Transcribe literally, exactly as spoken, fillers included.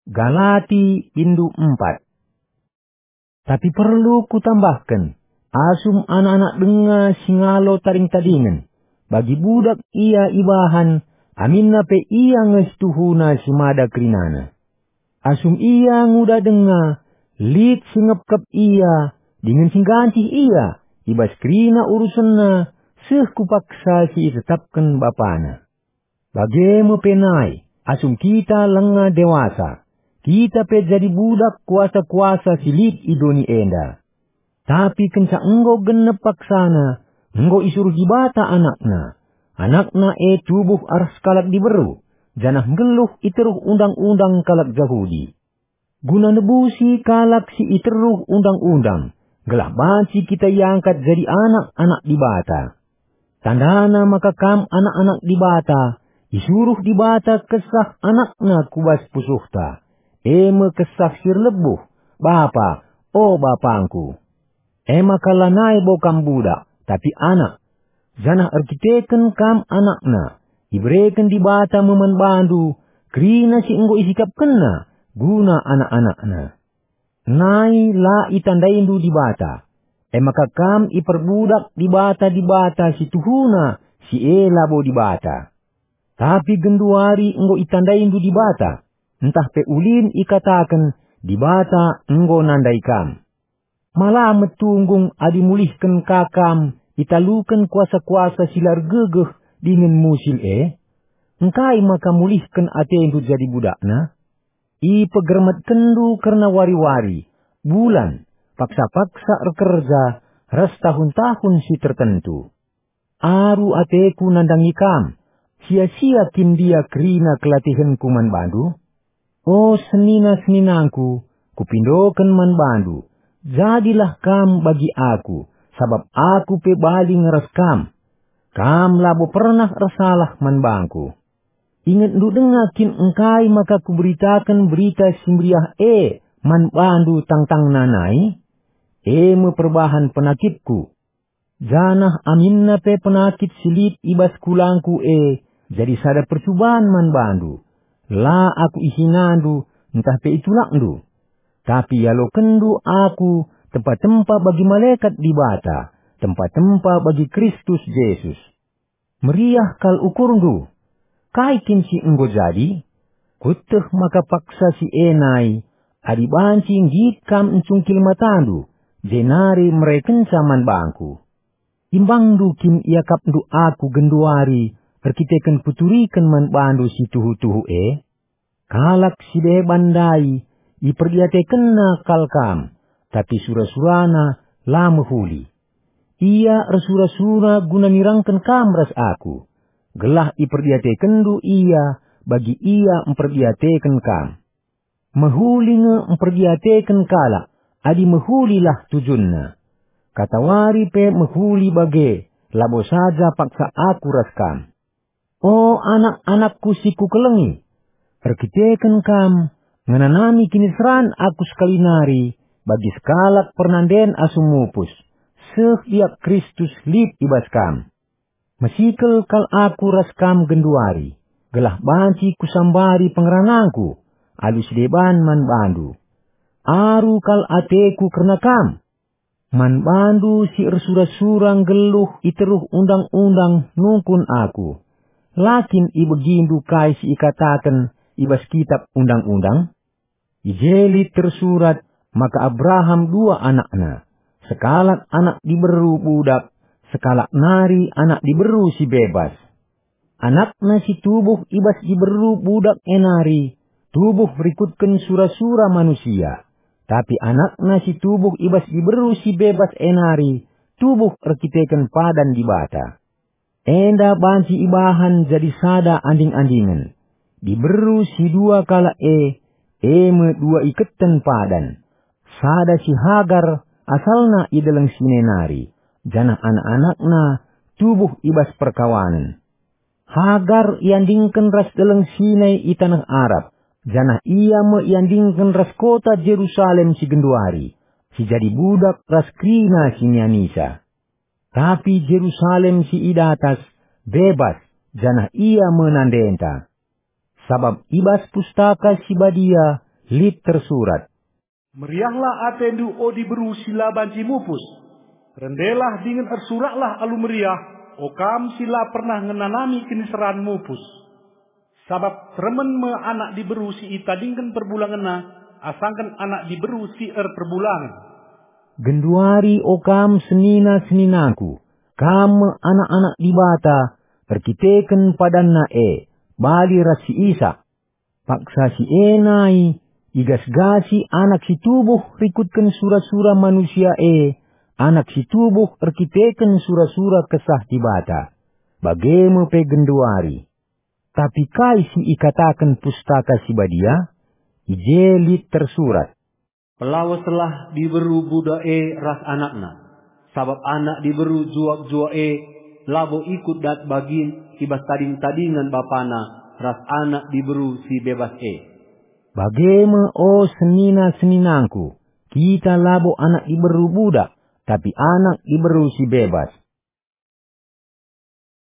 Galati, bindu empat. Tapi perlu kutambahken, asum anak-anak denga si ngalo tading-tadingen, bagi budak ia ibahan, aminna pe ia nge situhuna si mada kerinana. Asum ia nguda denga, lit si ngepkep ia, dingen si nggancih ia, i bas kerina urusenna, seh ku paksa si itetapken bapana. Bage me pe nai, asum kita langa dewasa, kita pe jadi budak kuasa-kuasa si lit i doni enda. Tapi kenca enggo genep paksana, enggo isuruh Dibata AnakNa. AnakNa e tubuh arah sekalak diberu, janah nggeluh i teruh undang-undang kalak Jahudi. Guna nebusi kalak si i teruh undang-undang, gelah banci kita iangkat jadi anak-anak Dibata. Tandana maka kam anak-anak Dibata, isuruh Dibata Kesah AnakNa ku bas pusuhta, e me Kesah si erlebuh, "Bapa, o BapangKu." E maka lanai bo kam budak, tapi anak. Janah erkiteken kam anakNa, ibereken Dibata me man bandu kerina si enggo isikapkenNa guna anak-anakNa. Nai la itandaindu Dibata, e maka kam iperbudak dibata-dibata si tuhuna si e labo Dibata. Tapi genduari enggo itandaindu Dibata, ntah pe ulin ikataken Dibata enggo nandai kam. Ma la metunggung adi mulihken ka kam italuken kuasa-kuasa si la ergegeh dingen musil e? Engkai maka mulihken atendu jadi budakna? Ipegermetkenndu kerna wari-wari, bulan, paksa-paksa erkerja, ras tahun-tahun si tertentu. Aru ateku nandangi kam, sia-sia kin ndia kerina kelatihenku man bandu? O senina-seninangku, kupindoken man bandu, jadilah kam bagi aku, sabap aku pe bali nge ras kam. Kam labo pernah ersalah man bangku. Ingetndu denga kin engkai maka kuberitaken Berita Si Meriah e man bandu tangtangna nai? E me perbahan penakitku. Janah aminna pe penakit si lit i bas kulangku e jadi sada percuban man bandu. La aku ihinandu ntah pe itulakndu. Tapi ialokenndu aku tempa-tempa bagi malekat Dibata, tempa-tempa bagi Kristus Jesus. Meriah kal ukurndu. Kai kin si enggo jadi? Kueteh maka paksa si e nai, adi banci nggit kam ncungkil matandu, jenari merekenca man bangku. Imbangndu kin iakapndu aku genduari erkiteken kuturiken man bandu si tuhu-tuhu e? Kalak si deban ndai iperdiatekenna kal kam, tapi sura-surana la mehuli. Ia ersura-sura guna nirangken kam ras aku, gelah iperdiatekenndu ia bagi ia mperdiateken kam. Mehuli nge mperdiateken kalak, adi mehulilah tujunna. Katawari pe mehuli bage, labo saja paksa aku ras kam. O anak-anakku si kukelengi, erkiteken kam, ngenanami kiniseran aku sekali nari bagi sekalak pernanden asum mupus, seh ia Kristus lit i bas kam. Mesikel kal aku ras kam genduari, gelah banci kusambari pengeranangku alu si deban man bandu. Aru kal ateku kerna kam. Man bandu si ersura-sura nggeluh i teruh undang-undang nungkun aku. La kin ibegindu kai si ikataken i bas kitap undang-undang? I je lit tersurat maka Abraham dua anakna, sekalak anak diberu budak, sekalak nari anak diberu si bebas. Anakna si tubuh i bas diberu budak e nari tubuh rikutken sura-sura manusia, tapi anakna si tubuh i bas diberu si bebas e nari tubuh erkiteken padan Dibata. Enda banci ibahan jadi sada anding-andingen. Diberu si dua kalak e, e me dua iketen padan. Sada si Hagar, asalna i Deleng Sinai nari, janah anak-anakna tubuh i bas perkawanen. Hagar iandingken ras Deleng Sinai i taneh Arab, janah ia me iandingken ras kota Jerusalem si genduari, si jadi budak ras kerina si nianisa. Tapi Jerusalem si i datas bebas, janah ia me nandenta. Sabap i bas Pustaka Si Badia Lit tersurat, "Meriahlah atendu, o diberu si la banci mupus. Rendelah dingen ersuraklah alu meriah, o kam si la pernah ngenanami kiniseran mupus. Sabap teremen me anak diberu si itadingken perbulangenna, asangken anak diberu si erperbulangen." Genduari, o kam senina-seninangku, kam me anak-anak Dibata, erkiteken padanNa e, bali ras si Isak. Paksa si e nai, igasgasi anak si tubuh rikutken sura-sura manusia e, anak si tubuh erkiteken sura-sura Kesah Dibata. Bage me pe genduari. Tapi kai si ikataken Pustaka Si Badia? I je lit tersurat, "Pelaweslah diberu budak e ras anakna, sabap anak diberu juak-juak e labo ikut dat bagin i bas tading-tadingen bapana ras anak diberu si bebas e." Bage me, o senina-seninangku, kita labo anak diberu budak, tapi anak diberu si bebas.